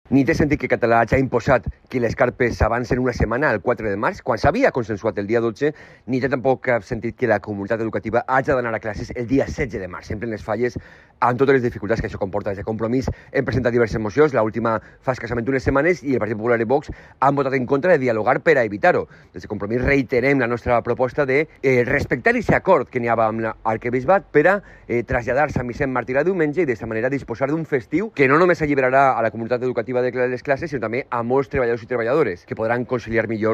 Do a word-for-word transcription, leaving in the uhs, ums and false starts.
Ni té sentit que Català hagi imposat que les carpes s'avancen una setmana al quatre de març, quan s'havia consensuat el dia dotze, ni té tampoc cap sentit que la comunitat educativa hagi d'anar a classes el dia setze de març, sempre en les falles, amb totes les dificultats que això comporta. Des de Compromís hem presentat diverses mocions, l'última fa escassament unes setmanes, i el Partit Popular i Vox han votat en contra de dialogar per a evitar-ho. Des de Compromís reiterem la nostra proposta de eh, respectar aquest acord que n'hi havia amb l'arquebisbat per a eh, traslladar-se a Vicent Martirà diumenge i d'aquesta manera disposar d'un festiu que no només alliberarà a la comunitat educativa de les classes, sinó també a molts treballadors i treballadores que podran conciliar millor